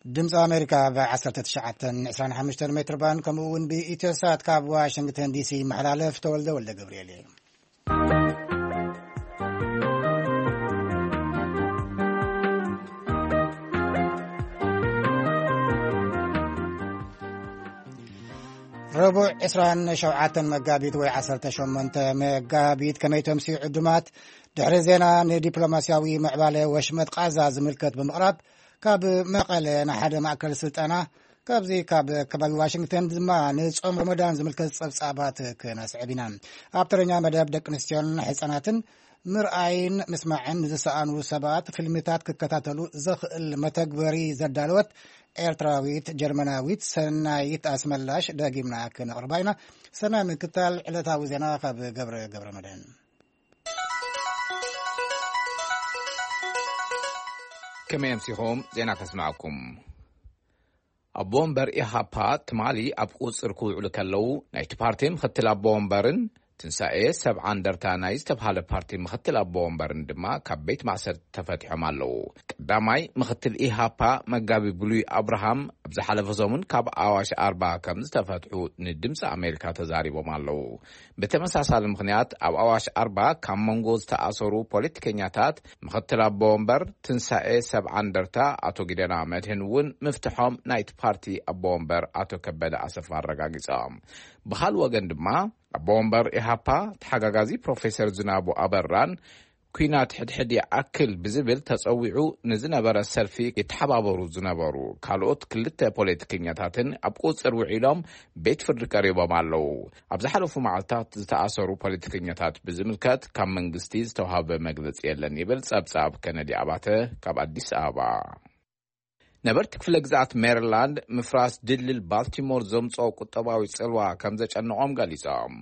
ድምፂ ኣሜሪካ ብ ዓሰርተ ትሽዓተ ዕስራን ሓሙሽተን ሜትር ባንድ፣ ከምኡ እውን ብኢትዮሳት ካብ ዋሽንግተን ዲሲ ይመሓላለፍ። ተወልደ ወልደ ገብርኤል እየ። ረቡዕ ዕስራን ሸውዓተን መጋቢት ወይ ዓሰርተ ሸሞንተ መጋቢት፣ ከመይ ተምስዩ ዕዱማት? ድሕሪ ዜና፣ ንዲፕሎማስያዊ ምዕባለ ወሽመጥ ቃዛ ዝምልከት ብምቕራብ፣ ካብ መቐለ ንሓደ ማእከል ስልጠና፣ ካብዚ ካብ ከባቢ ዋሽንግተን ድማ ንጾም ረመዳን ዝምልከት ጸብጻባት ክነስዕብ ኢና። ኣብ ተረኛ መደብ፣ ደቂ ኣንስትዮን ሕጻናትን ምርኣይን ምስማዕን ንዝሰኣኑ ሰባት ፊልምታት ክከታተሉ ዘኽእል መተግበሪ ዘዳለወት ኤርትራዊት ጀርመናዊት ሰናይት ኣስመላሽ ደጊምና ክነቕርባ ኢና። ሰናይ ምክታል ዕለታዊ ዜና ካብ ገብረ ገብረ መድህን። ከመይ ኣምሲኹም? ዜና ከስምዐኩም። ኣቦ ወንበር ኢሃፓ ትማሊ ኣብ ቁጽር ክውዕሉ ከለዉ፣ ናይቲ ፓርቲ ምኽትል ኣቦ ወንበርን ትንሳኤ ሰብዓ እንደርታ ናይ ዝተብሃለ ፓርቲ ምኽትል ኣቦ ወንበርን ድማ ካብ ቤት ማእሰርቲ ተፈቲሖም ኣለዉ። ቀዳማይ ምኽትል ኢሃፓ መጋቢ ብሉይ ኣብርሃም ኣብ ዝሓለፈ ሰሙን ካብ ኣዋሽ ኣርባ ከም ዝተፈትሑ ንድምፂ ኣሜሪካ ተዛሪቦም ኣለዉ። ብተመሳሳሊ ምኽንያት ኣብ ኣዋሽ ኣርባ ካብ መንጎ ዝተኣሰሩ ፖለቲከኛታት ምኽትል ኣቦ ወንበር ትንሳኤ ሰብዓ እንደርታ ኣቶ ጊደና መድህን እውን ምፍትሖም ናይቲ ፓርቲ ኣቦ ወንበር ኣቶ ከበደ ኣሰፋ ኣረጋጊጾም። ብኻልእ ወገን ድማ ኣቦ ወንበር ኢሃፓ ተሓጋጋዚ ፕሮፌሰር ዝናቡ ኣበራን ኲናት ሕድሕድ ይኣክል ብዝብል ተጸዊዑ ንዝነበረ ሰልፊ የተሓባበሩ ዝነበሩ ካልኦት ክልተ ፖለቲከኛታትን ኣብ ቁጽር ውዒሎም ቤት ፍርዲ ቀሪቦም ኣለዉ። ኣብ ዝሓለፉ መዓልታት ዝተኣሰሩ ፖለቲከኛታት ብዝምልከት ካብ መንግስቲ ዝተዋህበ መግለጺ የለን ይብል ጸብጻብ ከነዲ ኣባተ ካብ ኣዲስ ኣበባ። ነበርቲ ክፍለ ግዝኣት ሜሪላንድ ምፍራስ ድልድል ባልቲሞር ዘምጽኦ ቁጠባዊ ጽልዋ ከም ዘጨነቖም ገሊጾም።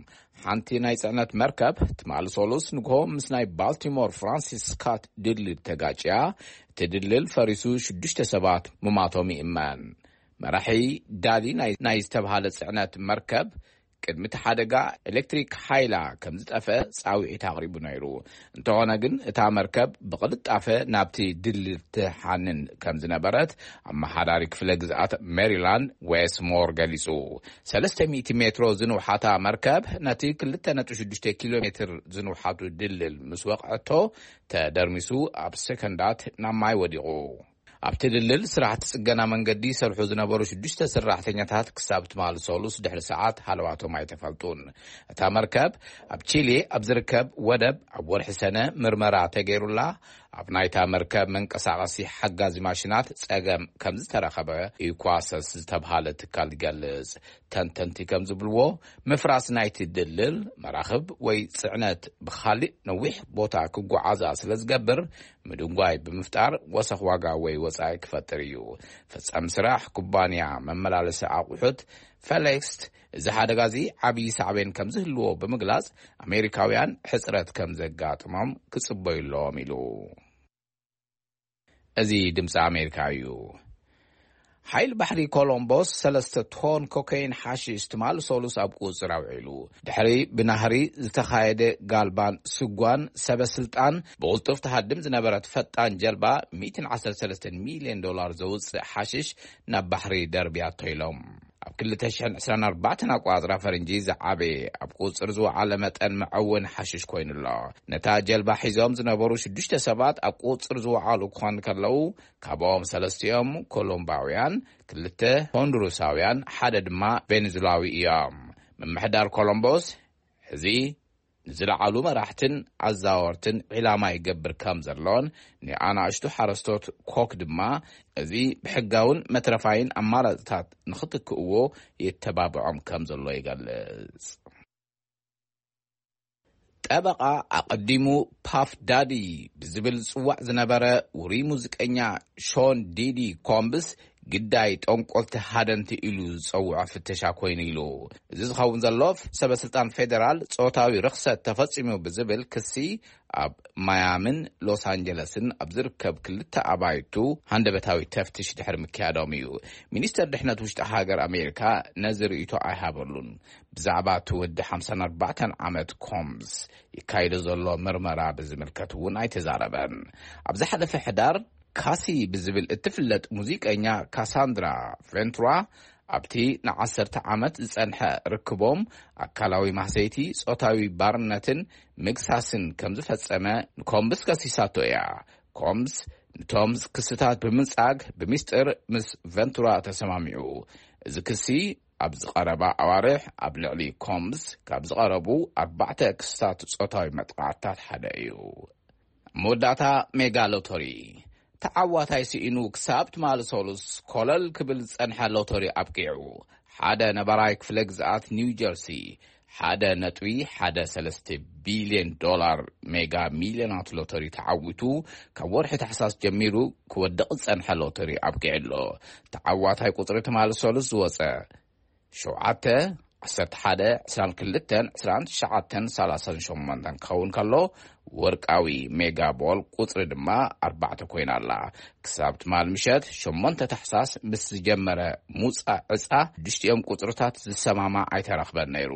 ሓንቲ ናይ ጽዕነት መርከብ ትማሊ ሰሉስ ንግሆ ምስ ናይ ባልቲሞር ፍራንሲስ ስካት ድልድል ተጋጭያ፣ እቲ ድልድል ፈሪሱ ሽዱሽተ ሰባት ምማቶም ይእመን። መራሒ ዳሊ ናይ፣ ናይ ዝተብሃለ ጽዕነት መርከብ ቅድሚ እቲ ሓደጋ ኤሌክትሪክ ሓይላ ከም ዝጠፍአ ጻውዒት ኣቕሪቡ ነይሩ። እንተኾነ ግን እታ መርከብ ብቕልጣፈ ናብቲ ድልድል ትሓንን ከም ዝነበረት ኣመሓዳሪ ክፍለ ግዝኣት ሜሪላንድ ዌስ ሞር ገሊጹ። ሰለስተ ሚእቲ ሜትሮ ዝንውሓታ መርከብ ነቲ ክልተ ነጥቢ ሽዱሽተ ኪሎ ሜትር ዝንውሓቱ ድልድል ምስ ወቕዐቶ ተደርሚሱ ኣብ ሰከንዳት ናብ ማይ ወዲቑ። ኣብቲ ድልድል ስራሕቲ ጽገና መንገዲ ይሰርሑ ዝነበሩ ሽዱሽተ ሰራሕተኛታት ክሳብ ትማሊ ሰሉስ ድሕሪ ሰዓት ሃለዋቶም ኣይተፈልጡን። እታ መርከብ ኣብ ቺሊ ኣብ ዝርከብ ወደብ ኣብ ወርሒ ሰነ ምርመራ ተገይሩላ፣ ኣብ ናይታ መርከብ መንቀሳቐሲ ሓጋዚ ማሽናት ጸገም ከም ዝተረኸበ ኢኳሰስ ዝተብሃለ ትካል ይገልጽ። ተንተንቲ ከም ዝብልዎ፣ ምፍራስ ናይቲ ድልድል መራኽብ ወይ ጽዕነት ብኻሊእ ነዊሕ ቦታ ክጓዓዛ ስለ ዝገብር፣ ምድንጓይ ብምፍጣር ወሰኽ ዋጋ ወይ ወጻኢ ክፈጥር እዩ። ፈጻሚ ስራሕ ኩባንያ መመላለሲ ኣቑሑት ፈሌክስት፣ እዚ ሓደጋ እዚ ዓብዪ ሳዕቤን ከም ዝህልዎ ብምግላጽ፣ ኣሜሪካውያን ሕጽረት ከም ዘጋጥሞም ክጽበዩ ኣለዎም ኢሉ። እዚ ድምፂ ኣሜሪካ እዩ። ሓይሊ ባሕሪ ኮሎምቦስ ሰለስተ ቶን ኮካይን ሓሽሽ ትማል ሰሉስ ኣብ ቁፅር ኣውዒሉ። ድሕሪ ብናህሪ ዝተኻየደ ጋልባን ስጓን፣ ሰበ ስልጣን ብቕልጡፍ ትሃድም ዝነበረት ፈጣን ጀልባ ሚእትን ዓሰርተ ሰለስተን ሚልዮን ዶላር ዘውፅእ ሓሽሽ ናብ ባሕሪ ደርብያቶ ኢሎም። ኣብ ክልተ ሽሕን ዕስራን ኣርባዕተን ኣቋፅራ ፈረንጂ ዝዓበየ ኣብ ቁፅር ዝወዓለ መጠን መዐወኒ ሓሽሽ ኮይኑ ኣሎ። ነታ ጀልባ ሒዞም ዝነበሩ ሽዱሽተ ሰባት ኣብ ቁፅር ዝወዓሉ ክኾኑ ከለዉ፣ ካብኦም ሰለስቲኦም ኮሎምባውያን፣ ክልተ ሆንዱሩሳውያን፣ ሓደ ድማ ቬኔዙላዊ እዮም። ምምሕዳር ኮሎምቦስ፣ እዚ ንዝለዓሉ መራሕትን ኣዛወርትን ዒላማ ይገብር ከም ዘሎን፣ ንኣናእሽቱ ሓረስቶት ኮክ ድማ እዚ ብሕጋውን መትረፋይን ኣማራፅታት ንኽትክእዎ የተባብዖም ከም ዘሎ ይገልጽ። ጠበቓ፣ ኣቐዲሙ ፓፍ ዳዲ ብዝብል ዝጽዋዕ ዝነበረ ውሩይ ሙዚቀኛ ሾን ዲዲ ኮምብስ፣ ግዳይ ጠንቆልቲ ሃደንቲ ኢሉ ዝጸውዖ ፍተሻ ኮይኑ ኢሉ። እዚ ዝኸውን ዘሎ፣ ሰበ ስልጣን ፌደራል ጾታዊ ርኽሰት ተፈጺሙ ብዝብል ክሲ ኣብ ማያምን ሎስ ኣንጀለስን ኣብ ዝርከብ ክልተ ኣባይቱ ሃንደበታዊ ተፍትሽ ድሕሪ ምክያዶም እዩ። ሚኒስተር ድሕነት ውሽጢ ሃገር ኣሜሪካ ነዚ ርእይቶ ኣይሃበሉን። ብዛዕባ እቲ ወዲ ሓምሳን ኣርባዕተን ዓመት ኮምስ ይካየዶ ዘሎ ምርመራ ብዝምልከት እውን ኣይተዛረበን። ኣብ ዝሓለፈ ሕዳር፣ ካሲ ብዝብል እትፍለጥ ሙዚቀኛ ካሳንድራ ቬንቱራ፣ ኣብቲ ንዓሰርተ ዓመት ዝጸንሐ ርክቦም፣ ኣካላዊ ማህሰይቲ፣ ጾታዊ ባርነትን ምግሳስን ከም ዝፈጸመ ንኮምብስ ከሲሳቶ እያ። ኮምብስ ንቶም ክስታት ብምንጻግ ብሚስጥር ምስ ቬንቱራ ተሰማሚዑ። እዚ ክሲ ኣብ ዝቐረባ ኣዋርሕ ኣብ ልዕሊ ኮምብስ ካብ ዝቐረቡ ኣርባዕተ ክስታት ጾታዊ መጥቃዕትታት ሓደ እዩ። መወዳእታ፣ ሜጋ ሎተሪ። ተዓዋታይ ስኢኑ ክሳብ ትማሊ ሰሉስ ኮለል ክብል ዝጸንሐ ሎተሪ ኣብቂዑ። ሓደ ነባራይ ክፍለ ግዝኣት ኒው ጀርሲ፣ ሓደ ነጥቢ ሓደ ሰለስተ ቢልዮን ዶላር ሜጋ ሚልዮናት ሎተሪ ተዓዊቱ፣ ካብ ወርሒ ታሕሳስ ጀሚሩ ክወድቕ ዝጸንሐ ሎተሪ ኣብቂዑ ኣሎ። ተዓዋታይ ቁጽሪ ትማሊ ሰሉስ ዝወጸ፣ ሸውዓተ፣ ዓሰርተ ሓደ፣ ዕስራን ክልተን፣ ዕስራን ትሽዓተን፣ ሰላሳን ሸሞንተን ክኸውን ከሎ፣ ወርቃዊ ሜጋ ቦል ቁጽሪ ድማ ኣርባዕተ ኮይና ኣላ። ክሳብ ትማል ምሸት ሸሞንተ ታሕሳስ ምስ ዝጀመረ ሙጻ ዕጻ፣ ሽዱሽቲኦም ቁጽርታት ዝሰማማዕ ኣይተረኽበን ነይሩ።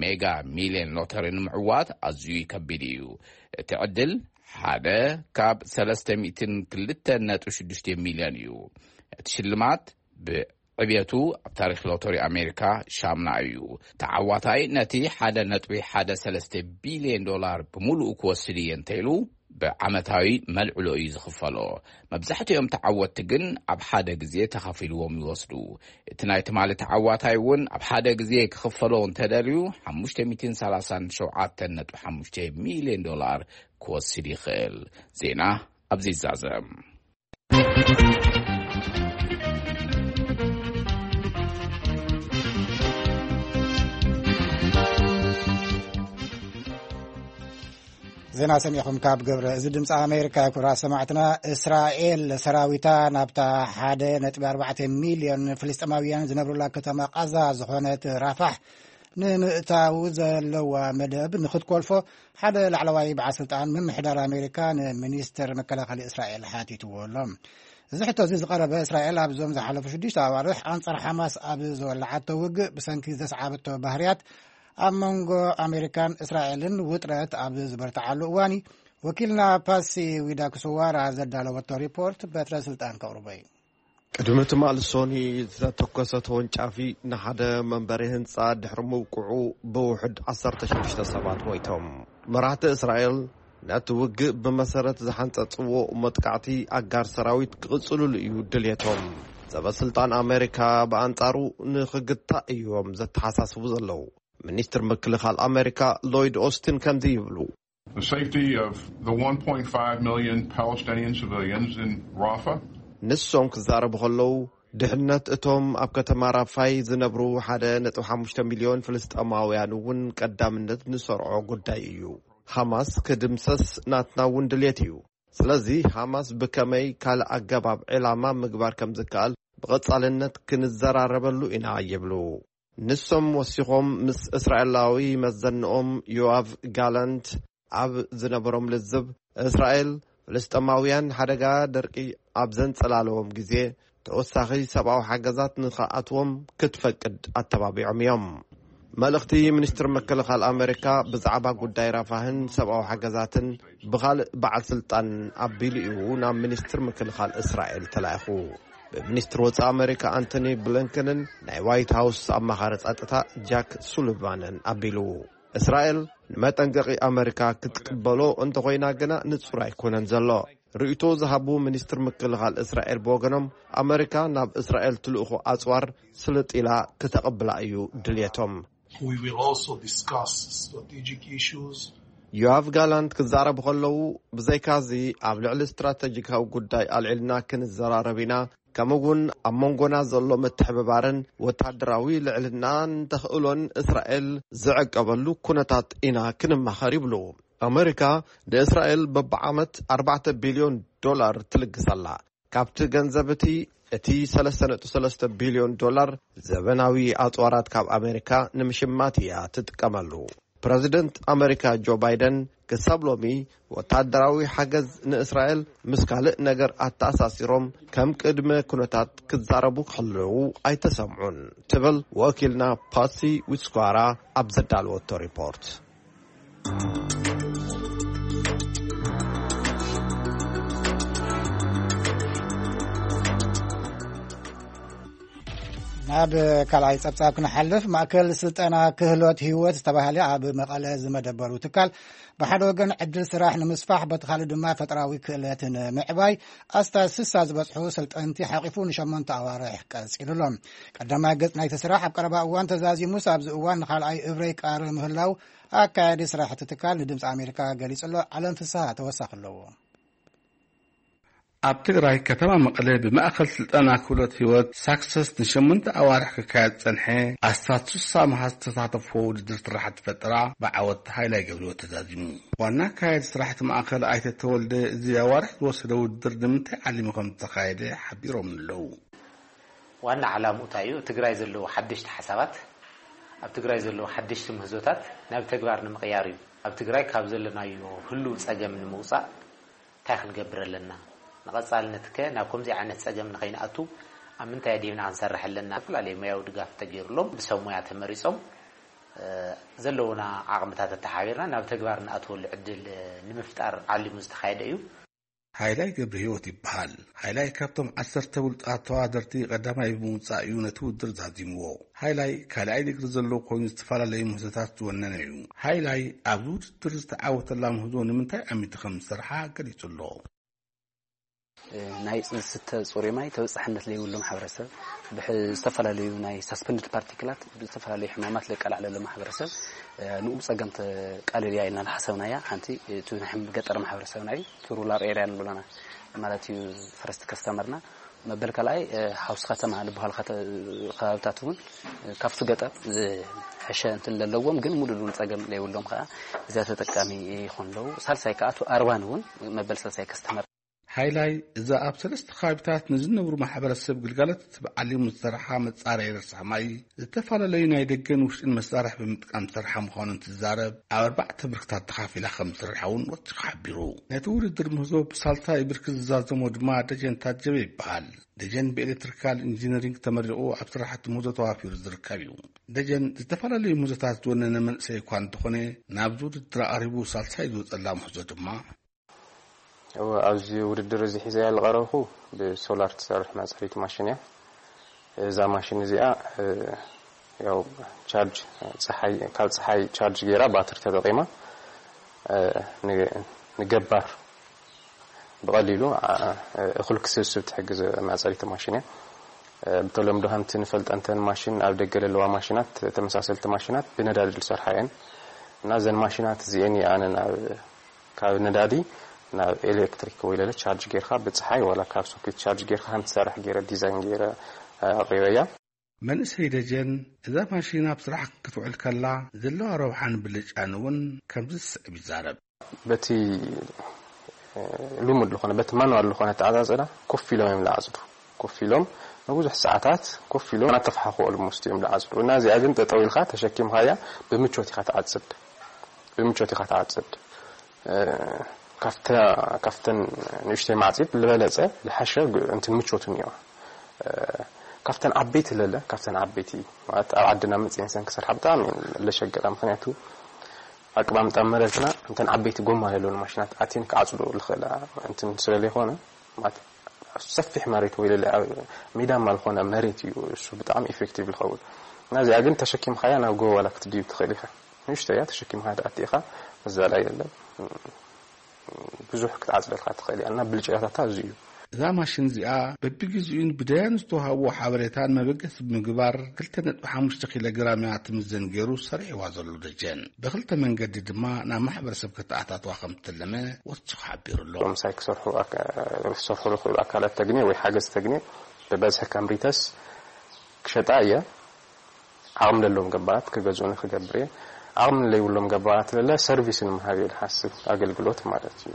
ሜጋ ሚልዮን ሎተሪ ንምዕዋት ኣዝዩ ከቢድ እዩ። እቲ ዕድል ሓደ ካብ ሰለስተ ሚእትን ክልተን ነጥቢ ሽዱሽተ ሚልዮን እዩ። እቲ ሽልማት ብ ዕብየቱ ኣብ ታሪኽ ሎተሪ ኣሜሪካ ሻምና እዩ። ተዓዋታይ ነቲ ሓደ ነጥቢ ሓደ ሰለስተ ቢልዮን ዶላር ብምሉኡ ክወስድ እየ እንተኢሉ፣ ብዓመታዊ መልዕሎ እዩ ዝኽፈሎ። መብዛሕትኦም ተዓወትቲ ግን ኣብ ሓደ ግዜ ተኸፊልዎም ይወስዱ። እቲ ናይ ትማሊ ተዓዋታይ እውን ኣብ ሓደ ግዜ ክኽፈሎ እንተደልዩ፣ ሓሙሽተ ሚእትን ሰላሳን ሸውዓተን ነጥቢ ሓሙሽተ ሚልዮን ዶላር ክወስድ ይኽእል። ዜና ኣብዚ ይዛዘም። ዜና ሰሚዕኹም ካብ ግብረ እዚ ድምፂ ኣሜሪካ። ክቡራት ሰማዕትና፣ እስራኤል ሰራዊታ ናብታ ሓደ ነጥቢ ኣርባዕተ ሚልዮን ፍልስጤማውያን ዝነብሩላ ከተማ ቃዛ ዝኾነት ራፋሕ ንምእታው ዘለዋ መደብ ንክትኮልፎ ሓደ ላዕለዋይ በዓል ስልጣን ምምሕዳር ኣሜሪካ ንሚኒስትር መከላኸሊ እስራኤል ሓቲትዎ ኣሎ። እዚ ሕቶ እዚ ዝቐረበ፣ እስራኤል ኣብዞም ዝሓለፉ ሽዱሽተ ኣዋርሕ ኣንጻር ሓማስ ኣብ ዝወላዓቶ ውግእ ብሰንኪ ዘስዓበቶ ባህርያት ኣብ መንጎ ኣሜሪካን እስራኤልን ውጥረት ኣብ ዝበርትዓሉ እዋን እዩ። ወኪልና ፓሲ ዊዳ ክስዋራ ዘዳለወቶ ሪፖርት በትረ ስልጣን ከቕርቦ እዩ። ቅድሚ ትማል ሶኒ ዝተተኮሰ ተወንጫፊ ንሓደ መንበሪ ህንጻ ድሕሪ ምውቅዑ ብውሕድ ዓሰርተ ሽዱሽተ ሰባት ሞይቶም። መራሕቲ እስራኤል ነቲ ውግእ ብመሰረት ዝሓንጸጽዎ መጥቃዕቲ ኣጋር ሰራዊት ክቕጽልሉ እዩ ድልየቶም። ሰበስልጣን ኣሜሪካ ብኣንጻሩ ንኽግታእ እዮም ዘተሓሳስቡ ዘለዉ። ሚኒስትር ምክልኻል ኣሜሪካ ሎይድ ኦስትን ከምዚ ይብሉ። The safety of the one point five million Palestinian civilians in Rafah. ንሶም ክዛረቡ ከለዉ፣ ድሕነት እቶም ኣብ ከተማ ራፋይ ዝነብሩ ሓደ ነጥቢ ሓሙሽተ ሚልዮን ፍልስጤማውያን እውን ቀዳምነት ንሰርዖ ጉዳይ እዩ። ሓማስ ክድምሰስ ናትና እውን ድልየት እዩ። ስለዚ ሓማስ ብከመይ ካልእ ኣገባብ ዕላማ ምግባር ከም ዝከኣል ብቐጻልነት ክንዘራረበሉ ኢና ይብሉ። ንሶም ወሲኾም ምስ እስራኤላዊ መዘንኦም ዮኣቭ ጋላንት ኣብ ዝነበሮም ልዝብ፣ እስራኤል ፍልስጤማውያን ሓደጋ ደርቂ ኣብ ዘንጸላለዎም ግዜ ተወሳኺ ሰብኣዊ ሓገዛት ንኽኣትዎም ክትፈቅድ ኣተባቢዖም እዮም። መልእኽቲ ሚኒስትር ምክልኻል ኣሜሪካ ብዛዕባ ጉዳይ ራፋህን ሰብኣዊ ሓገዛትን ብኻልእ በዓል ስልጣን ኣቢሉ እዩ ናብ ሚኒስትር ምክልኻል እስራኤል ተላኢኹ። ብሚኒስትር ወጻኢ ኣሜሪካ ኣንቶኒ ብሊንከንን ናይ ዋይት ሃውስ ኣማኻሪ ጸጥታ ጃክ ሱሊቫንን ኣቢሉ። እስራኤል ንመጠንቀቒ ኣሜሪካ ክትቅበሎ እንተኾይና ግና ንጹር ኣይኮነን ዘሎ። ርእይቶ ዝሃቡ ሚኒስትር ምክልኻል እስራኤል ብወገኖም፣ ኣሜሪካ ናብ እስራኤል ትልእኾ ኣጽዋር ስልጥ ኢላ ክተቐብላ እዩ ድልየቶም። We will also discuss strategic issues. ዮኣቭ ጋላንት ክዛረቡ ከለዉ፣ ብዘይካዚ ኣብ ልዕሊ ስትራተጂካዊ ጉዳይ ኣልዒልና ክንዘራረብ ኢና፣ ከምኡ እውን ኣብ መንጎና ዘሎ ምትሕብባርን ወታደራዊ ልዕልናን ተኽእሎን እስራኤል ዝዕቀበሉ ኩነታት ኢና ክንማኸር ይብሉ። ኣመሪካ ንእስራኤል በብዓመት ኣርባዕተ ቢልዮን ዶላር ትልግስ ኣላ። ካብቲ ገንዘብ እቲ፣ እቲ ሰለስተ ነጥቢ ሰለስተ ቢልዮን ዶላር ዘበናዊ ኣጽዋራት ካብ ኣመሪካ ንምሽማት እያ ትጥቀመሉ። ፕረዚደንት ኣመሪካ ጆ ባይደን ክሳብ ሎሚ ወታደራዊ ሓገዝ ንእስራኤል ምስ ካልእ ነገር ኣተኣሳሲሮም ከም ቅድመ ኩነታት ክዛረቡ ከለዉ ኣይተሰምዑን ትብል ወኪልና ፓሲ ዊትስኳራ ኣብ ዘዳለወቶ ሪፖርት። ናብ ካልኣይ ጸብጻብ ክንሓልፍ፣ ማእከል ስልጠና ክህሎት ህይወት ዝተባህለ ኣብ መቐለ ዝመደበሩ ትካል፣ ብሓደ ወገን ዕድል ስራሕ ንምስፋሕ፣ በቲ ካልእ ድማ ፈጠራዊ ክእለት ንምዕባይ፣ ኣስታት ስሳ ዝበጽሑ ሰልጠንቲ ሓቂፉ ንሸሞንተ ኣዋርሕ ቀጺሉ ኣሎ። ቀዳማይ ገጽ ናይቲ ስራሕ ኣብ ቀረባ እዋን ተዛዚሙስ፣ ኣብዚ እዋን ንኻልኣይ እብረይ ይቃረ ምህላው ኣካያዲ ስራሕ እቲ ትካል ንድምፂ ኣሜሪካ ገሊጹ ኣሎ። ዓለም ፍስሃ ተወሳኺ ኣለዎ። ኣብ ትግራይ ከተማ መቐለ ብማእኸል ስልጠና ክህሎት ህይወት ሳክሰስ ንሸሞንተ ኣዋርሕ ክካየድ ዝጸንሐ ኣስታት ስሳ መሃዝ ዝተሳተፍዎ ውድድር ስራሕቲ ፈጠራ ብዓወት ሃይላይ ገብረህይወት ተዛዚሙ። ዋና ኣካያዲ ስራሕቲ ማእኸል ኣይተ ተወልደ፣ እዚ ኣዋርሕ ዝወሰደ ውድድር ንምንታይ ዓሊሙ ከም ዝተኻየደ ሓቢሮም ኣለዉ። ዋና ዓላምኡ እንታይ እዩ? ትግራይ ዘለዉ ሓደሽቲ ሓሳባት፣ ኣብ ትግራይ ዘለዉ ሓደሽቲ ምህዞታት ናብ ተግባር ንምቕያር እዩ። ኣብ ትግራይ ካብ ዘለናዮ ህሉው ጸገም ንምውጻእ እንታይ ክንገብር ኣለና? ንቐጻልነት ከ ናብ ከምዚ ዓይነት ጸገም ንኸይንኣቱ ኣብ ምንታይ ኣዲብና ክንሰርሕ ኣለና? ዝተፈላለዩ ሞያዊ ድጋፍ ተገይሩሎም ብሰብ ሞያ ተመሪጾም ዘለውና ዓቕምታት ኣተሓቢርና ናብ ተግባር ንኣትወሉ ዕድል ንምፍጣር ዓሊሙ ዝተኻየደ እዩ። ሃይላይ ገብረህይወት ይበሃል። ሃይላይ ካብቶም ዓሰርተ ብሉጻት ተወዳደርቲ ቀዳማይ ብምውጻእ እዩ ነቲ ውድድር ዛዚምዎ። ሃይላይ ካልኣይ ዲግሪ ዘለዎ ኮይኑ ዝተፈላለዩ ምህዞታት ዝወነነ እዩ። ሃይላይ ኣብዚ ውድድር ዝተዓወተላ ምህዞ ንምንታይ ኣሚቱ ከም ዝሰርሓ ገሊጹ ኣሎ። ናይ ዝስተ ጽሩይ ማይ ተበጻሕነት ዘይብሉ ማሕበረሰብ፣ ዝተፈላለዩ ናይ ሳስፐንድድ ፓርቲክላት ብዝተፈላለዩ ሕማማት ለቃላዕለሉ ማሕበረሰብ፣ ንኡ ጸገም ተቃልል እያ ኢልና ዝሓሰብናያ። ሓንቲ እቲ ናይ ገጠር ማሕበረሰብና እዩ፣ እቲ ሩራል ኤርያ ንብሎ ኢና ማለት እዩ። ፈረስት ከስተመርና መበል ካልኣይ ሓውሲ ከተማ ዝበሃል ከባብታት እውን ካብቲ ገጠር ዝሕሸ እንትን ለለዎም ግን ሙሉእ ንሙሉ ጸገም ለይብሎም ከዓ እዚኣ ተጠቃሚ ይኾን ኣለዉ። ሳልሳይ ከዓ እቲ ኣርባን እውን መበል ሳልሳይ ከስተመር ሃይላይ እዛ ኣብ ሰለስተ ከባቢታት ንዝነብሩ ማሕበረሰብ ግልጋሎት ትህብ ዓሊሙ ዝሰርሓ መጻረይ ረሳሕ ማይ ዝተፈላለዩ ናይ ደገን ውሽጥን መሳርሒ ብምጥቃም ዝሰርሓ ምዃኑ እንትዛረብ፣ ኣብ ኣርባዕተ ብርክታት ተኻፊላ ከም ዝሰርሓ እውን ወሲኹ ሓቢሩ። ነቲ ውድድር ምህዞ ብሳልሳይ ብርኪ ዝዛዘሞ ድማ ደጀን ታጀበ ይበሃል። ደጀን ብኤሌክትሪካል ኢንጂነሪንግ ተመሪቑ ኣብ ስራሕቲ ምህዞ ተዋፊሩ ዝርከብ እዩ። ደጀን ዝተፈላለዩ ምህዞታት ዝወነነ መንእሰይ እኳ እንተኾነ፣ ናብዚ ውድድር ኣቕሪቡ ሳልሳይ ዝወፀላ ምህዞ ድማ እወ፣ ኣብዚ ውድድር እዚ ሒዘያ ዝቐረብኩ ብሶላር ትሰርሕ ማፀሪት ማሽን እያ። እዛ ማሽን እዚኣ ያው ቻርጅ፣ ፀሓይ፣ ካብ ፀሓይ ቻርጅ ገይራ ባትሪ ተጠቒማ ንገባር ብቐሊሉ እኹል ክስብስብ ትሕግዝ ማፀሪት ማሽን እያ። ብተለምዶ ከምቲ ንፈልጠ እንተን ማሽን ኣብ ደገ ዘለዋ ማሽናት፣ ተመሳሰልቲ ማሽናት ብነዳዲ ዝሰርሓ እየን እና እዘን ማሽናት እዚኤን እየ ኣነ ናብ ካብ ነዳዲ ናብ ኤሌክትሪክ ወይ ለለ ቻርጅ ጌርካ ብፀሓይ ዋላ ካብ ሶኬት ቻርጅ ጌርካ ከም ትሰርሕ ገይረ ዲዛይን ገይረ ኣቕሪበያ። መንእሰይ ደጀን እዛ ማሽን ኣብ ስራሕ ክትውዕል ከላ ዘለዋ ረብሓን ብልጫን እውን ከምዚ ዝስዕብ ይዛረብ። በቲ ልሙድ ዝኾነ በቲ ማኑዋል ዝኾነ ኣተዓፃፅዳ ኮፍ ኢሎም እዮም ዝዓፅዱ። ኮፍ ኢሎም ንብዙሕ ሰዓታት ኮፍ ኢሎም እናተፋሓኹ ኦልሞስት እዮም ዝዓፅዱ እና እዚኣ ግን ጠጠው ኢልካ ተሸኪምካያ ብምቾት ኢኻ ትዓፅድ። ብምቾት ኢኻ ትዓፅድ። ካብተን ንእሽተይ ማዕፂድ ዝበለፀ ዝሓሸ እንትን ምቾት እኒኦ። ካብተን ዓበይቲ ለለ ካብተን ዓበይቲ ማለት ኣብ ዓድና መፅእን ሰን ክሰርሓ ብጣዕሚ ለሸገራ ምክንያቱ ኣቀማምጣ መረትና እንተን ዓበይቲ ጎማ ዘለውን ማሽናት ኣትን ክዓፅዶ ዝኽእላ እንትን ስለዘይኮነ ማለት ሰፊሕ መሬት ወይ ለለ ሜዳማ ዝኾነ መሬት እዩ እሱ ብጣዕሚ ኢፌክቲቭ ዝኸውን እና እዚኣ ግን ተሸኪምካያ ናብ ጎቦ ዋላ ክትድይብ ትኽእል ኢኻ ንእሽቶ እያ ተሸኪምካ ኣቲኻ መዛላ የለን ብዙሕ ክትዓፅደልካ ትኽእል እያ እና ብልጫታታ እዚ እዩ እዛ ማሽን እዚኣ በብግዜኡን ብደያን ዝተዋሃብዎ ሓበሬታን መበገሲ ብምግባር ክልተ ነጥቢ ሓሙሽተ ኪሎ ግራም እያ ትምዘን ገይሩ ሰሪሕዋ ዘሎ ደጀን ብክልተ መንገዲ ድማ ናብ ማሕበረሰብ ከተኣታትዋ ከም ትልመ ወሲኹ ሓቢሩ ኣሎ። ምሳይ ክሰርሑ ክሰርሑ ዝኽእሉ ኣካላት ተግንየ ወይ ሓገዝ ተግንየ ብበዝሒ ከም ሪተስ ክሸጣ እየ። ዓቕሚ ለለዎም ገባራት ክገዝኡኒ ክገብር እየ። ዓቕሚ ለይብሎም ገባራት ለለ ሰርቪስ ንምሃብ እየ ዝሓስብ ኣገልግሎት ማለት እዩ።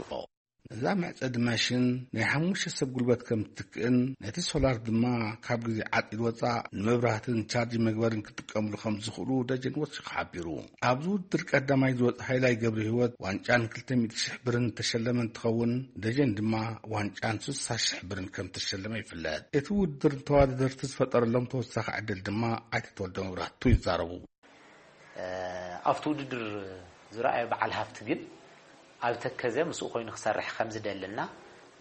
እዛ መዕጸዲ ማሽን ናይ ሓሙሽተ ሰብ ጉልበት ከም እትትክእን ነቲ ሶላር ድማ ካብ ግዜ ዓጺድ ወጻእ ንመብራህትን ቻርጅ መግበርን ክጥቀምሉ ከም ዝኽእሉ ደጀን ወሲኹ ሓቢሩ። ኣብዚ ውድድር ቀዳማይ ዝወጽእ ሃይላይ ገብረህይወት ዋንጫን ክልተ ሚእቲ ሽሕ ብርን ዝተሸለመ እንትኸውን ደጀን ድማ ዋንጫን ስሳ ሽሕ ብርን ከም ዝተሸለመ ይፍለጥ። እቲ ውድድር ንተወዳደርቲ ዝፈጠረሎም ተወሳኺ ዕድል ድማ ኣይተ ተወልደ መብራህቱ ይዛረቡ። ኣብቲ ውድድር ዝረኣየ በዓል ሃፍቲ ግን ኣብ ተከዘ ምስኡ ኮይኑ ክሰርሕ ከም ዝደሊ እና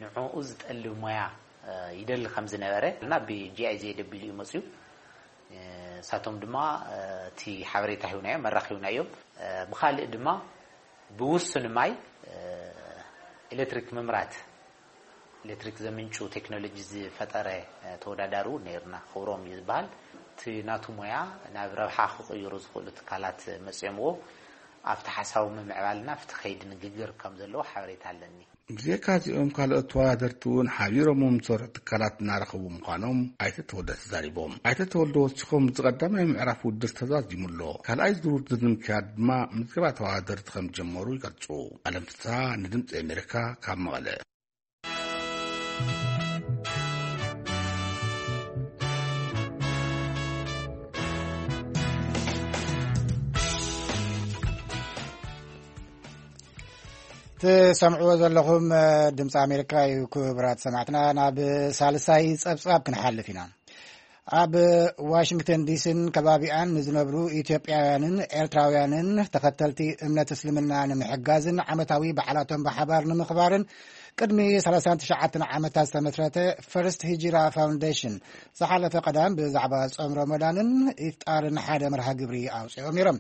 ንዕኡ ዝጠልብ ሞያ ይደሊ ከም ዝነበረ እና ብ GIZ ደቢሉ እዩ መፅዩ። እሳቶም ድማ እቲ ሓበሬታ ሂብናዮም፣ መራኺብናዮም። ብኻልእ ድማ ብውሱን ማይ ኤሌክትሪክ ምምራት፣ ኤሌክትሪክ ዘምንጩ ቴክኖሎጂ ዝፈጠረ ተወዳዳሪ እውን ነይርና። ክብሮም እዩ ዝበሃል። እቲ ናቱ ሞያ ናብ ረብሓ ክቕይሩ ዝኽእሉ ትካላት መፅኦምዎ ኣብቲ ሓሳዊ ምምዕባልና ኣብቲ ከይዲ ንግግር ከም ዘለዎ ሓበሬታ ኣለኒ። ብዘይካ እዚኦም ካልኦት ተወዳደርቲ እውን ሓቢሮም ዝሰርሑ ትካላት እናረኸቡ ምዃኖም ኣይተ ተወልደ ተዛሪቦም። ኣይተ ተወልደ ወሲኾም፣ እዚ ቀዳማይ ምዕራፍ ውድድር ተዛዚሙ ኣሎ። ካልኣይ ዙር ውድድር ንምክያድ ድማ ምዝገባ ተወዳደርቲ ከም ዝጀመሩ ይገልጹ። ኣለም ፍስሃ ንድምፂ ኣሜሪካ ካብ መቐለ። ትሰምዕዎ ዘለኹም ድምፂ ኣሜሪካ እዩ። ክቡራት ሰማዕትና፣ ናብ ሳልሳይ ፀብፃብ ክንሓልፍ ኢና። ኣብ ዋሽንግተን ዲሲን ከባቢኣን ንዝነብሩ ኢትዮጵያውያንን ኤርትራውያንን ተኸተልቲ እምነት እስልምና ንምሕጋዝን ዓመታዊ በዓላቶም ብሓባር ንምኽባርን ቅድሚ ሰላሳን ትሽዓተን ዓመታት ዝተመስረተ ፈርስት ሂጅራ ፋውንዴሽን ዝሓለፈ ቀዳም ብዛዕባ ጾም ረመዳንን ኢፍጣርን ሓደ መርሃ ግብሪ ኣውጺኦም ነይሮም።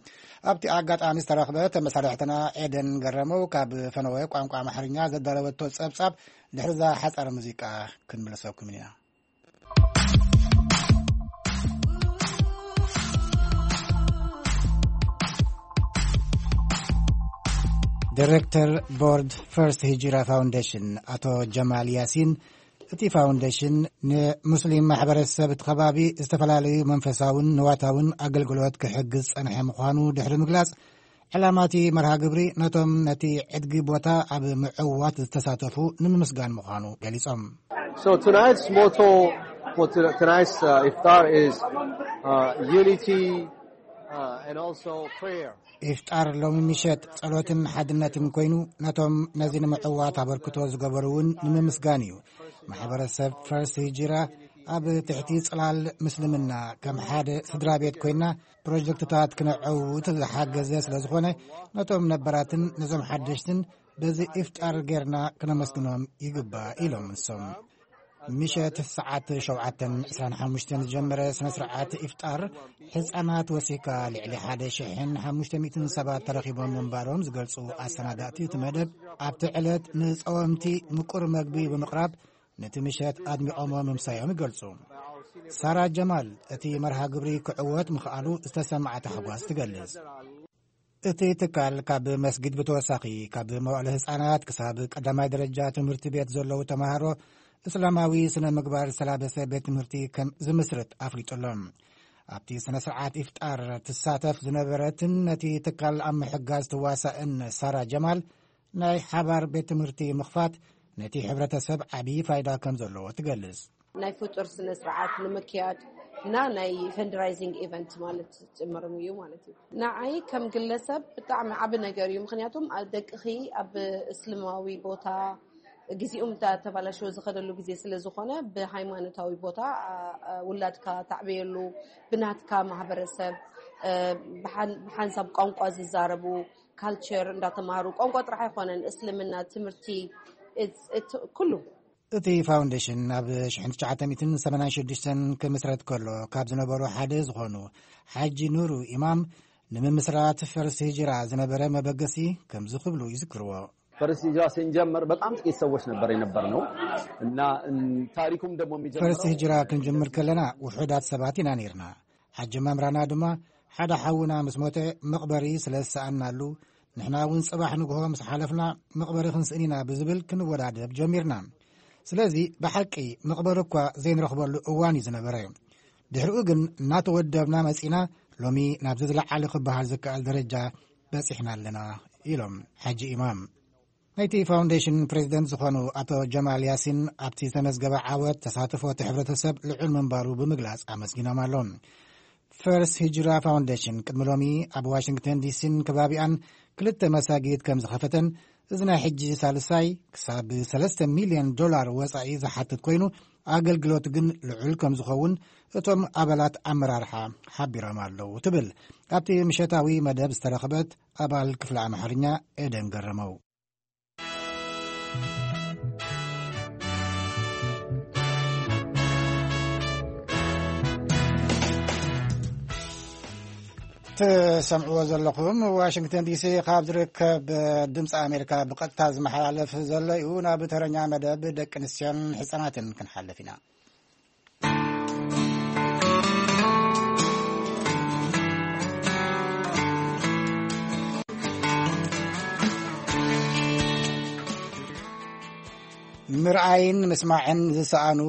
ኣብቲ ኣጋጣሚ ዝተረኽበ ተመሳሪሕትና ኤደን ገረመው ካብ ፈነወ ቋንቋ ኣምሓርኛ ዘዳለወቶ ጸብጻብ ድሕሪ እዛ ሓጻር ሙዚቃ ክንምለሰኩም ኢና። ዲሬክተር ቦርድ ፈርስት ሂጅራ ፋውንዴሽን ኣቶ ጀማል ያሲን፣ እቲ ፋውንዴሽን ንሙስሊም ማሕበረሰብ እቲ ከባቢ ዝተፈላለዩ መንፈሳውን ንዋታውን ኣገልግሎት ክሕግዝ ጸንሐ ምዃኑ ድሕሪ ምግላጽ፣ ዕላማ እቲ መርሃ ግብሪ ነቶም ነቲ ዕድጊ ቦታ ኣብ ምዕዋት ዝተሳተፉ ንምምስጋን ምዃኑ ገሊጾም። So tonight's motto for to- tonight's uh, iftar is uh, unity uh, and also prayer. ኢፍጣር ሎሚ ምሸት ጸሎትን ሓድነትን ኮይኑ፣ ነቶም ነዚ ንምዕዋት ኣበርክቶ ዝገበሩ እውን ንምምስጋን እዩ። ማሕበረሰብ ፈርስ ሂጅራ ኣብ ትሕቲ ጽላል ምስልምና ከም ሓደ ስድራ ቤት ኮይና ፕሮጀክትታት ክነዐውት ዝሓገዘ ስለ ዝኾነ፣ ነቶም ነበራትን ነዞም ሓደሽትን በዚ ኢፍጣር ጌርና ክነመስግኖም ይግባእ ኢሎም ንሶም። ምሸት ሰዓት ሸውዓተን ዕስራን ሓሙሽተን ዝጀመረ ስነ ስርዓት ኢፍጣር፣ ህጻናት ወሲካ ልዕሊ ሓደ ሽሕን ሓሙሽተ ሚእትን ሰባት ተረኺቦም ምንባሮም ዝገልጹ ኣሰናዳእቲ እቲ መደብ፣ ኣብቲ ዕለት ንጸወምቲ ምቁር መግቢ ብምቕራብ ነቲ ምሸት ኣድሚቖሞ ምምሳዮም ይገልጹ። ሳራ ጀማል እቲ መርሃ ግብሪ ክዕወት ምኽኣሉ ዝተሰምዓ ታሕጓስ ትገልጽ። እቲ ትካል ካብ መስጊድ ብተወሳኺ ካብ መዋእለ ህጻናት ክሳብ ቀዳማይ ደረጃ ትምህርቲ ቤት ዘለዉ ተማሃሮ እስላማዊ ስነ ምግባር ዝተላበሰ ቤት ትምህርቲ ከም ዝምስርት ኣፍሊጡ ኣሎ። ኣብቲ ስነ ስርዓት ኢፍጣር ትሳተፍ ዝነበረትን ነቲ ትካል ኣብ ምሕጋዝ ትዋሳእን ሳራ ጀማል፣ ናይ ሓባር ቤት ትምህርቲ ምኽፋት ነቲ ሕብረተሰብ ዓብዪ ፋይዳ ከም ዘለዎ ትገልጽ። ናይ ፍጡር ስነ ስርዓት ንምክያድ እና ናይ ፈንድራይዚንግ ኢቨንት ማለት ጭምርም እዩ ማለት እዩ። ንዓይ ከም ግለሰብ ብጣዕሚ ዓቢ ነገር እዩ። ምኽንያቱም ኣብ ደቅኺ ኣብ እስልማዊ ቦታ ግዜኡም ተባላሽዎ ዝኸደሉ ግዜ ስለ ዝኾነ፣ ብሃይማኖታዊ ቦታ አ- አ- ውላድካ ታዕበየሉ፣ ብናትካ ማህበረሰብ አ፣ ብሓን- ብሓንሳብ ቋንቋ ዝዛረቡ፣ ካልቸር እንዳተማሃሩ፣ ቋንቋ ጥራሕ ኣይኮነን፣ እስልምና ትምህርቲ፣ it's- it's- ኩሉ። እቲ ፋውንዴሽን ኣብ ሽሕን ትሽዓተ ሚእትን ሰማንያን ሽዱሽተን ክምስረት ከሎ ካብ ዝነበሩ ሓደ ዝኾኑ ሓጂ ኑሩ ኢማም፣ ንምምስራት ፈርስ ሂጅራ ዝነበረ መበገሲ ከምዚ ክብሉ ይዝክርዎ። ፈርስ ሂጅራ ስንጀምር በጣም ጥቂት ሰዎች ነበር የነበር ነው እና እን- ታሪኩም ደግሞ የሚጀምረው ፈርስ ሂጅራ ክንጅምር ከለና ውሑዳት ሰባት ኢና ነይርና። ሓጂ መምራና ድማ ሓደ ሓውና ምስ ሞተ መቕበሪ ስለ ዝሰኣናሉ፣ ንሕና እውን ጽባሕ ንግሆ ምስ ሓለፍና መቕበሪ ክንስእን ኢና ብዝብል ክንወዳደብ ጀሚርና። ስለዚ ብሓቂ መቕበሪ እኳ ዘይንረኽበሉ እዋን እዩ ዝነበረ። ድሕሪኡ ግን እናተወደብና መጺና፣ ሎሚ ናብዚ ዝለዓለ ክበሃል ዝከኣል ደረጃ በጺሕና ኣለና ኢሎም ሓጂ ኢማም። ናይቲ ፋውንዴሽን ፕሬዚደንት ዝኾኑ ኣቶ ጀማል ያሲን ኣብቲ ዝተመዝገበ ዓወት ተሳትፎ እቲ ሕብረተሰብ ልዑል ምንባሩ ብምግላጽ ኣመስጊኖም ኣለዉ። ፈርስ ሂጅራ ፋውንዴሽን ቅድሚ ሎሚ ኣብ ዋሽንግተን ዲሲን ከባቢኣን ክልተ መሳጊድ ከም ዝኸፈተን፣ እዚ ናይ ሕጂ ሳልሳይ ክሳብ ሰለስተ ሚልዮን ዶላር ወጻኢ ዝሓትት ኮይኑ፣ ኣገልግሎት ግን ልዑል ከም ዝኸውን እቶም ኣባላት ኣመራርሓ ሓቢሮም ኣለዉ ትብል ኣብቲ ምሸታዊ መደብ ዝተረኽበት ኣባል ክፍሊ ኣምሓርኛ ኤደን ገረመው። ትሰምዕዎ ዘለኹም ዋሽንግተን ዲሲ ካብ ዝርከብ ድምፂ ኣሜሪካ ብቐጥታ ዝመሓላለፍ ዘሎ እዩ። ናብ ተረኛ መደብ ደቂ ኣንስትዮን ህፃናትን ክንሓልፍ ኢና። ምርኣይን ምስማዕን ዝሰኣኑ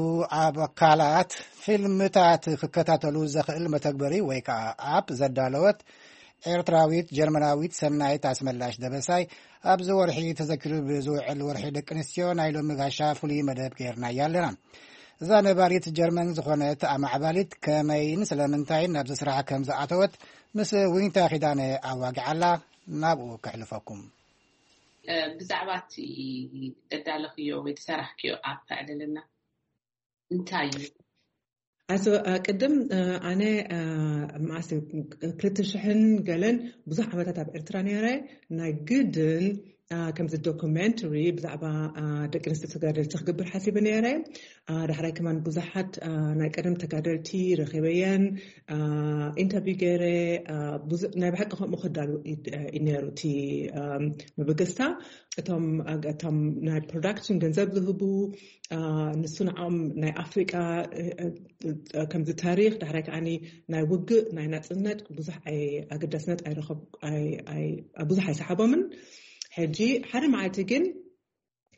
ኣብ ኣካላት ፊልምታት ክከታተሉ ዘኽእል መተግበሪ ወይ ከዓ ኣፕ ዘዳለወት ኤርትራዊት ጀርመናዊት ሰናይት ኣስመላሽ ደበሳይ፣ ኣብዚ ወርሒ ተዘኪሩ ብዝውዕል ወርሒ ደቂ ኣንስትዮ ናይ ሎሚ ጋሻ ፍሉይ መደብ ገይርናያ ኣለና። እዛ ነባሪት ጀርመን ዝኾነት ኣማዕባሊት ከመይን ስለምንታይን ናብዚ ስራሕ ከም ዝኣተወት ምስ ዊንታ ኪዳነ ኣዋጊዓላ። ናብኡ ከሕልፈኩም። ብዛዕባ እቲ ደዳለኽዮ ወይ ዝሰራሕክዮ ኣፕ ኣዕልልና። እንታይ እዩ? ኣዞ ቅድም ኣነ ማስ ክልተ ሽሕን ገለን ብዙሕ ዓመታት ኣብ ኤርትራ ነረ። ናይ ግድን ከምዚ ዶኩሜንተሪ ብዛዕባ ደቂ ኣንስትዮ ተጋደልቲ ክገብር ሓሲበ ነረ። ዳሕራይ ከማን ብዙሓት ናይ ቀደም ተጋደልቲ ረኺበየን ኢንተርቪው ገይረ። ናይ ብሓቂ ከምኡ ክዳሉ ነሩ እቲ መበገስታ። እቶም እቶም ናይ ፕሮዳክሽን ገንዘብ ዝህቡ ንሱ ንዓኦም ናይ ኣፍሪቃ ከምዚ ታሪክ ዳሕራይ ከዓኒ ናይ ውግእ ናይ ናፅነት ብዙሕ ኣገዳስነት ኣይረኸብ ብዙሕ ኣይሰሓቦምን። ሕጂ ሓደ መዓልቲ ግን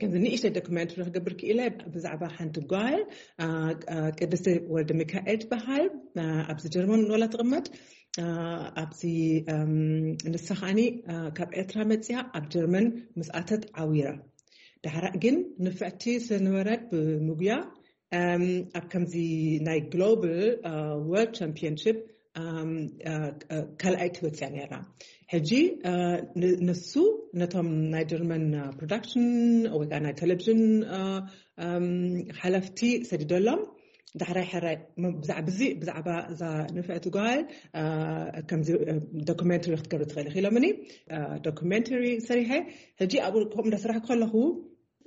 ከምዚ ንእሽተይ ዶክመንት ክገብር ክኢለ ብዛዕባ ሓንቲ ጓል ቅድስቲ ወልደ ሚካኤል ትበሃል። ኣብዚ ጀርመን ወላ ትቕመጥ። ኣብዚ ንሳ ከዓኒ ካብ ኤርትራ መፅያ ኣብ ጀርመን ምስኣተት ዓዊራ። ዳሕራ ግን ንፍዕቲ ስለዝነበረት ብምጉያ ኣብ ከምዚ ናይ ግሎባል ወርልድ ቻምፒዮንሽፕ ካልኣይቲ ወፅያ ነራ። ሕጂ ንሱ ነቶም ናይ ጀርመን ፕሮዳክሽን ወይ ከዓ ናይ ቴሌቪዥን ሓለፍቲ ሰዲደሎም። ዳሕራይ ሕራይ ብዛዕባ እዚ ብዛዕባ እዛ ንፍዕቲ ጓል ከምዚ ዶኩሜንተሪ ክትገብሪ ትኽእል ኢኺ ኢሎምኒ። ዶኩሜንተሪ ሰሪሐ። ሕጂ ኣብኡ ከምኡ እንዳሰራሕ ከለኹ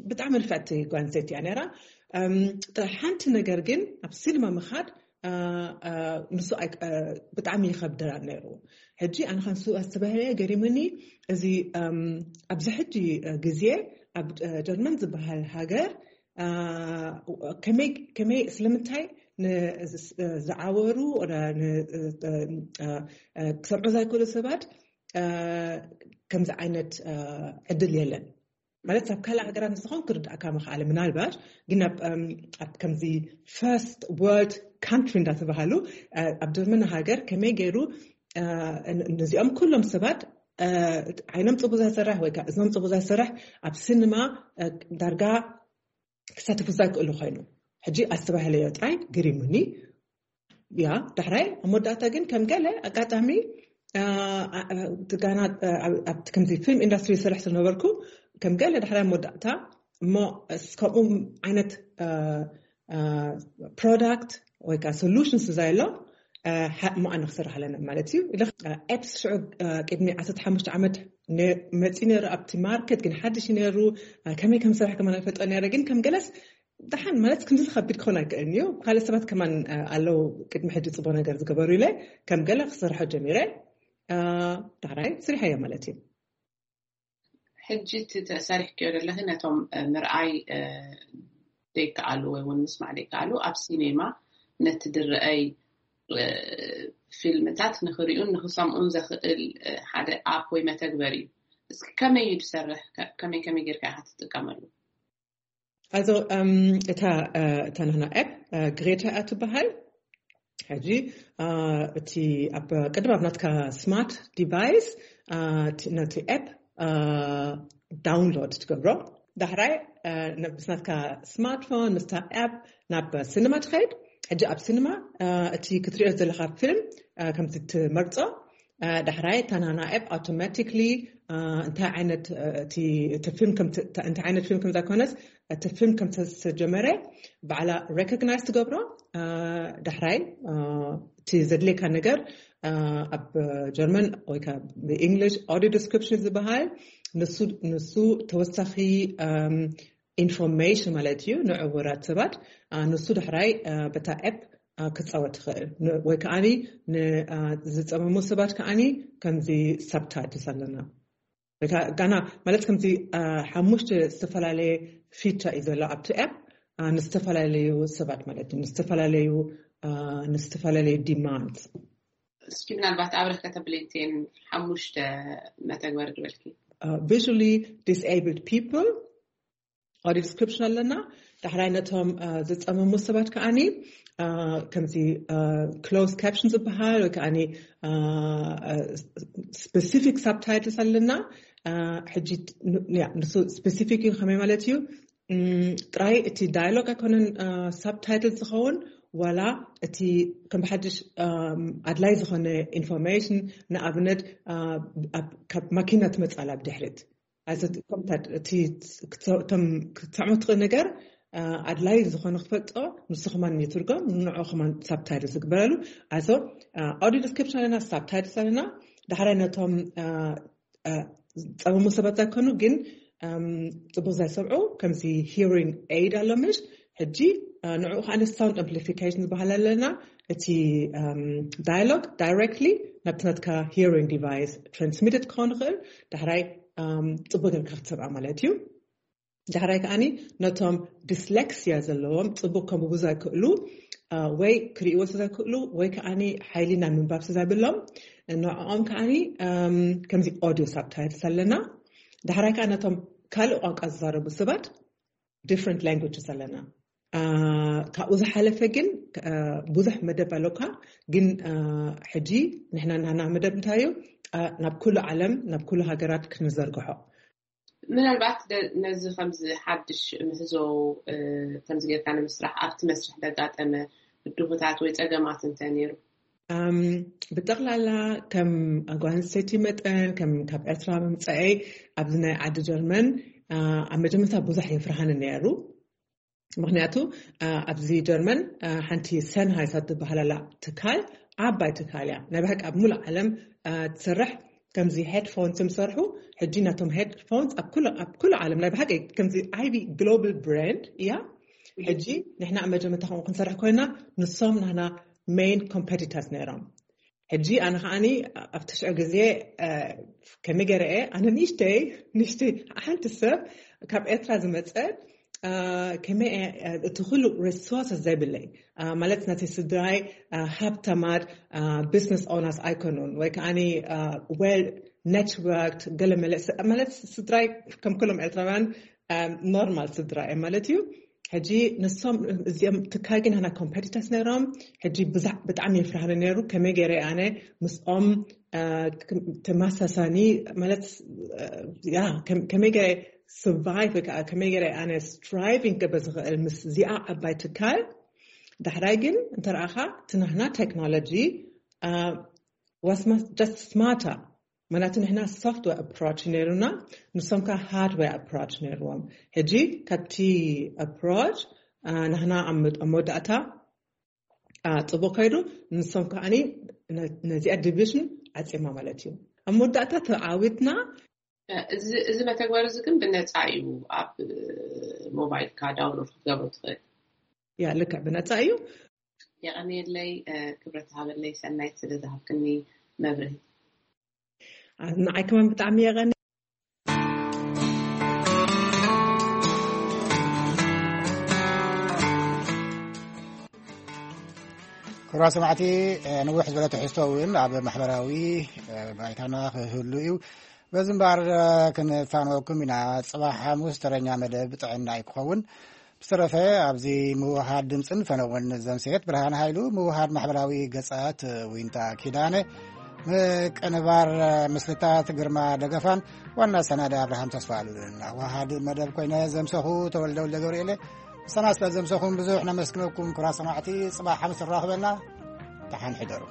ብጣዕሚ ንፍዕቲ ጓል ኣንስተይቲ እያ ነራ። ጥራሕ ሓንቲ ነገር ግን ኣብ ሲኒማ ምኻድ ንሱ ብጣዕሚ ይኸብደና ነይሩ። ሕጂ ኣነ ከንሱ ኣስተባህለ ገሪምኒ። እዚ ኣብዚ ሕጂ ግዜ ኣብ ጀርመን ዝበሃል ሃገር ከመይ ስለምንታይ ዝዓወሩ ክሰምዑ ዘይክእሉ ሰባት ከምዚ ዓይነት ዕድል የለን። ማለት ኣብ ካልእ ሃገራት ንዝኾን ክርድኣካ ምኽኣለ ምናልባት ግን ኣብ ከምዚ ፈርስት ወርልድ ካንትሪ እንዳተባሃሉ ኣብ ጀርመን ሃገር ከመይ ገይሩ ነዚኦም ኩሎም ሰባት ዓይኖም ፅቡቅ ዘይሰርሕ ወይ እዝኖም ፅቡቅ ዘይሰርሕ ኣብ ሲኒማ ዳርጋ ክሳተፉ ዘይክእሉ ኮይኑ ሕጂ ኣስተባህለዮ ጥራይ ግሪሙኒ። ያ ዳሕራይ ኣብ መወዳእታ ግን ከም ገለ ኣጋጣሚ ትጋና ኣብቲ ከምዚ ፊልም ኢንዳስትሪ ዝሰርሕ ስለነበርኩ ከም ገለ ዳሕራይ ኣብ መወዳእታ እሞ ከምኡ ዓይነት ፕሮዳክት ወይ ከዓ ሶሉሽንስ ዛይሎ እሞ ኣነ ክሰርሕ ኣለና ማለት እዩ። ኤፕስ ሽዑ ቅድሚ ዓሰርተ ሓሙሽተ ዓመት መፂ ነሩ ኣብቲ ማርኬት ግን ሓድሽ ነሩ። ከመይ ከም ስራሕ ከማን ኣይፈልጦ ነረ ግን ከም ገለስ ደሓን ማለት ክንዲ ዝኸቢድ ክኾን ኣይክእልን እዩ። ካልእ ሰባት ከማን ኣለዉ ቅድሚ ሕጂ ፅቡቅ ነገር ዝገበሩ ኢለ ከም ገለ ክሰርሖ ጀሚረ። ዳሕራይ ስሪሐዮ ማለት እዩ። ሕጂ እቲ ተሰሪሕክዮ ዘለኺ ነቶም ምርኣይ ዘይከኣሉ ወይ እውን ምስማዕ ዘይከኣሉ ኣብ ሲኔማ ነቲ ድረአይ ፊልምታት ንኽሪኡን ንኽሰምኡን ዘኽእል ሓደ ኣፕ ወይ መተግበር እዩ። እስኪ ከመይ እዩ ዝሰርሕ? ከመይ ከመይ ጌርካ ኢኻ ትጥቀመሉ? Also እታ እታ ናህና ኣፕ ግሬታ እያ ትበሃል። ሕጂ እቲ ኣብ ቅድም ኣብ ናትካ ስማርት ዲቫይስ ነቲ ኣፕ ዳውንሎድ ትገብሮ። ዳሕራይ ምስ ናትካ ስማርትፎን ምስታ ኣፕ ናብ ሲኒማ ትኸይድ። ሕጂ ኣብ ሲኒማ እቲ ክትሪኦ ዘለካ ፊልም ከምዚ ትመርፆ። ዳሕራይ እታ ናህና ኣፕ ኣውቶማቲክሊ እንታይ ዓይነት እቲ ፊልም እንታይ ዓይነት ፊልም ከም ዘኮነስ እቲ ፊልም ከም ዝተጀመረ ባዕላ ሬኮግናይዝ ትገብሮ። ዳሕራይ እቲ ዘድልየካ ነገር ኣብ ጀርመን ወይ ብእንግሊሽ ኦዲዮ ዲስክሪፕሽን ዝበሃል ንሱ ተወሳኺ ኢንፎርሜሽን ማለት እዩ ንዕውራት ሰባት። ንሱ ዳሕራይ በታ ኣፕ ክፃወት ይኽእል። ወይ ከዓኒ ንዝፀመሙ ሰባት ከዓኒ ከምዚ ሳብታይትልስ ኣለና። ጋና ማለት ከምዚ ሓሙሽተ ዝተፈላለየ ፊቸር እዩ ዘሎ ኣብቲ ኣፕ፣ ንዝተፈላለዩ ሰባት ማለት እዩ፣ ንዝተፈላለዩ ንዝተፈላለዩ ዲማንድ። እስኪ ምናልባት ኣብረክ ከተብለይቴን ሓሙሽተ መተግበሪ ዝበልኪ። Visually disabled people፣ audio description ኣለና። ዳሕራይ ነቶም ዝፀመሙ ሰባት ከዓኒ ከምዚ ክሎዝ ካፕሽን ዝበሃል ወይ ከዓኒ ስፔሲፊክ ሳብታይትልስ ኣለና። ሕጂ ንሱ ስፔሲፊክ እዩ። ከመይ ማለት እዩ? ጥራይ እቲ ዳያሎግ ኣይኮነን ሳብታይትል ዝኸውን፣ ዋላ እቲ ከም ብሓድሽ ኣድላይ ዝኾነ ኢንፎርሜሽን፣ ንኣብነት ካብ ማኪና ትመፃላ ብድሕሪት፣ ከምታት እቲ ክትሰምዖ ትኽእል ነገር ኣድላይ ዝኾነ ክትፈልጦ፣ ንሱ ከማን ይትርጎም፣ ንዑ ከማን ሳብታይትል ዝግበረሉ። ኣዞ ኣውዲዮ ዲስክሪፕሽን ኣለና፣ ሳብታይትልስ ኣለና። ዳሕራይ ነቶም ፀመሙ ሰባት ዘይኮኑ ግን ፅቡቅ ዘይሰምዑ፣ ከምዚ ሂሪንግ ኤድ ኣሎ ምሽ፣ ሕጂ ንዑ ከዓ ሳውንድ ኣምፕሊፊኬሽን ዝበሃል ኣለና። እቲ ዳያሎግ ዳይሬክትሊ ናብቲ ናትካ ሂሪንግ ዲቫይስ ትራንስሚትድ ክኸውን ይኽእል። ዳሕራይ ፅቡቅ ጌርካ ክትሰምዓ ማለት እዩ። ዳሕራይ ከዓኒ ነቶም ዲስሌክሲያ ዘለዎም፣ ፅቡቅ ከንብቡ ዘይክእሉ ወይ ክርእይዎ ዘይክእሉ ወይ ከዓኒ ሓይሊ ናይ ምንባብ ዘይብሎም፣ ንዕኦም ከዓኒ ከምዚ ኦዲዮ ሳብታይትልስ ኣለና። ዳሕራይ ከዓ ነቶም ካልእ ቋንቋ ዝዛረቡ ሰባት ዲፍረንት ላንጉጅስ ኣለና። ካብኡ ዝሓለፈ ግን ብዙሕ መደብ ኣለካ። ግን ሕጂ ንሕና ናና መደብ እንታይ እዩ? ናብ ኩሉ ዓለም፣ ናብ ኩሉ ሃገራት ክንዘርግሖ። ምናልባት ነዚ ከምዚ ሓድሽ ምህዞ ከምዚ ጌርካ ንምስራሕ ኣብቲ መስርሕ ዘጋጠመ ብድሆታት ወይ ፀገማት እንተ ነይሩ? ብጠቕላላ ከም ጓል ኣንስተይቲ መጠን፣ ከም ካብ ኤርትራ ምምፀአይ ኣብዚ ናይ ዓዲ ጀርመን ኣብ መጀመርታ ብዙሕ የፍርሃኒ ነይሩ። ምክንያቱ ኣብዚ ጀርመን ሓንቲ ሰንሃይስ ትበሃል ኣላ ትካል፣ ዓባይ ትካል እያ። ናይ ብሓቂ ኣብ ሙሉእ ዓለም ትሰርሕ። ከምዚ ሄድፎንስ ዝሰርሑ፣ ሕጂ ናቶም ሄድፎንስ ኣብ ኩሉ ዓለም ናይ ብሓቂ ከምዚ ዓቢ ግሎባል ብራንድ እያ። ሕጂ ንሕና ኣብ መጀመርታ ከምኡ ክንሰርሕ ኮይና፣ ንሶም ናና ሜን ኮምፐቲተርስ ነይሮም። ሕጂ ኣነ ከዓኒ ኣብቲ ሽዑ ግዜ ከመይ ገይረ እየ፣ ኣነ ንእሽተይ ንእሽተይ ሓንቲ ሰብ ካብ ኤርትራ ዝመፀት፣ ከመይ እየ እቲ ኩሉ ሪሶርስ ዘይብለይ፣ ማለት ናተይ ስድራይ ሃብታማት ቢዝነስ ኦነርስ ኣይኮኑን ወይ ከዓኒ ዌል ኔትወርክድ ገለ መለ ማለት ስድራይ ከም ኩሎም ኤርትራውያን ኖርማል ስድራ እየ ማለት እዩ። ሕጂ ንሶም እዚኦም ትካል ግን ናና ኮምፐቲተርስ ነይሮም። ሕጂ ብጣዕሚ የፍርሃኒ ነይሩ። ከመይ ገይረ ኣነ ምስኦም ተመሳሳኒ ማለት ያ ከመይ ገይረ ሰርቫይቭ ወይ ከዓ ከመይ ገይረ ኣነ ስትራይቪንግ ክገብር ዝኽእል ምስ እዚኣ ዓባይ ትካል። ዳሕራይ ግን እንተረኣኻ እቲ ናህና ቴክኖሎጂ ዋስ ጀስት ስማርተር። ምክንያቱ ንሕና ሶፍትዌር ኣፕሮች ነይሩና፣ ንሶም ከ ሃርድዌር ኣፕሮች ነይርዎም። ሕጂ ካብቲ ኣፕሮች ናህና ኣብ መወዳእታ ፅቡቅ ከይዱ፣ ንሶም ከዓኒ ነዚኣ ዲቪዥን ዓፂማ ማለት እዩ። ኣብ መወዳእታ ተዓዊትና። እዚ መተግበሪ እዚ ግን ብነፃ እዩ ኣብ ሞባይልካ ዳውንሎድ ክትገብሮ ትኽእል። ያ ልክዕ ብነፃ እዩ። የቐንየለይ፣ ክብረት ሃበለይ ሰናይት ስለ ዝሃብክኒ መብርሂ። ንዓይ ከማን ብጣዕሚ የቐኒ። ክብራ ሰማዕቲ፣ ንውሕ ዝበለ ትሕዝቶ እውን ኣብ ማሕበራዊ ባይታና ክህሉ እዩ። በዚ እምበኣር ክንፋነወኩም ኢና። ፅባሕ ሓሙስ ተረኛ መደብ ጥዕና እዩ ክኸውን። ብዝተረፈ ኣብዚ ምውሃድ ድምፅን ፈነወን ዘምሰየት ብርሃን ሃይሉ፣ ምውሃድ ማሕበራዊ ገፃት ዊንታ ኪዳነ፣ ምቅንባር ምስልታት ግርማ ደገፋን ዋና ሰናዲ ኣብርሃም ተስፋ ኣሉልን ኣዋሃድ መደብ ኮይነ ዘምሰኹ ተወልደ ወልደ ገብርኤለ። ሰና ስለ ዘምሰኹም ብዙሕ ነመስግነኩም። ክብራ ሰማዕቲ፣ ፅባሕ ሓሙስ ንራኽበና። ደሓን ሕደሩ።